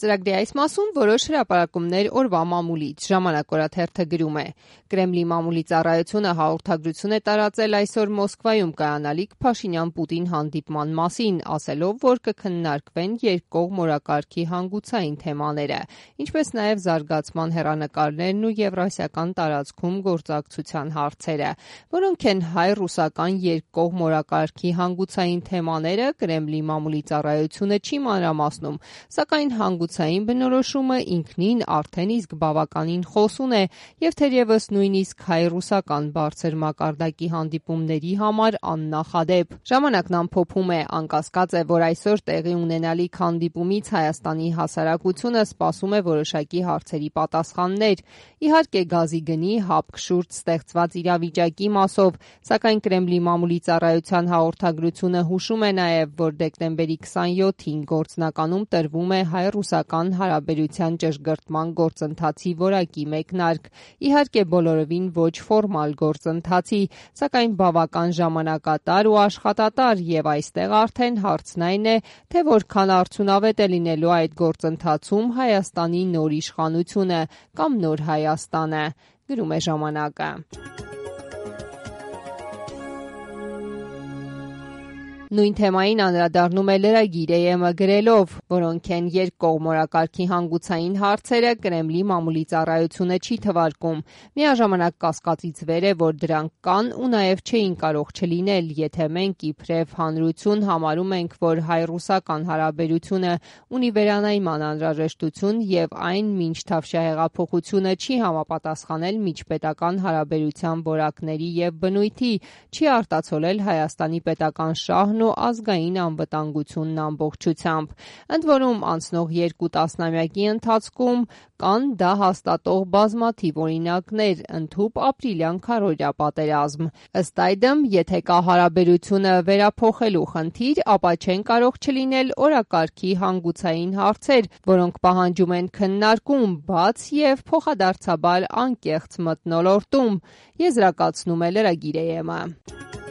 Ծրագրի այս մասում որոշ հրապարակումներ օրվա մամուլից։ Ժամանակ օրաթերթը գրում է. Կրեմլի մամուլի ծառայությունը հաղորդագրություն է տարածել այսօր Մոսկվայում կայանալիք Փաշինյան-Պուտին հանդիպման մասին, ասելով, որ կքննարկվեն երկկողմ օրակարգի հանգուցային թեմաները, ինչպես նաև զարգացման հեռանկարներն ու եվրասիական տարածքում գործակցության հարցերը, որոնք են հայ-ռուսական երկկողմ օրակարգի հանգուցային թեմաները, Կրեմլի մամուլի ծառայությունը չի մանրամասնում, սակայն հանգուցային բնորոշումը ինքնին արդեն իսկ բավականին խոսուն է եւ թերևս նույնիսկ հայ-ռուսական բարձր մակարդակի հանդիպումների համար աննախադեպ։ Ժամանակն ամփոփում է, անկասկած է, որ այսօր տեղի ունենալիք հանդիպումից Հայաստանի հասարակությունը սպասում է որոշակի հարցերի պատասխաններ, իհարկե գազի գնի հապկ շուրջ ստեղծված իրավիճակի մասով, սակայն Կրեմլի մամուլի ծառայության հաղորդագրությունը հուշում է նաև, որ դեկտեմբերի 27-ին գործնականում տրվում է հայ-ռուսական հարաբերության ճշգրտման գործընթացի որակի մեկնարկ, իհարկե բոլորովին ոչ ֆորմալ գործընթացի, սակայն բավական ժամանակատար ու աշխատատար եւ այստեղ արդեն հարցն այն է, թե որքան արդյունավետ է լինելու այդ գործընթացում Հայաստանի նոր իշխանությունը կամ նոր Հայաստանը, գրում է ժամանակը։ Նույն թեմային անդրադառնում է լրագիր ԵՄ գրելով, որոնք են երկկողմ օրակարգի հանգուցային հարցերը, Կրեմլի մամուլի ծառայությունը չի թվարկում։ Միաժամանակ կասկածից վեր է, որ դրանք կան ու նաև չէին կարող չլինել, եթե մենք իբրև հանրություն համարում ենք, որ հայ-ռուսական հարաբերությունը ունի վերանայման անհրաժեշտություն եւ այն մինչ Թավշյա հեղափոխությունը չի համապատասխանել միջպետական հարաբերության որակների եւ բնույթի, չի արտացոլել Հայաստանի պետական շահն ու ազգային անվտանգությունն ամբողջությամբ։ Ընդ որում անցնող 2 տասնամյակի ընթացքում կան դա հաստատող բազմաթիվ օրինակներ, ընդհուպ ապրիլյան քարոզիա պատերազմ։ Ըստ այդմ, եթե կա հարաբերությունը վերափոխելու խնդիր, ապա չեն կարող չլինել օրակարգի հանգուցային հարցեր, որոնք պահանջում են քննարկում, բաց եւ փոխադարձաբար անկեղծ մթնոլորտում, եզրակացնում է լրագիր ԵՄ։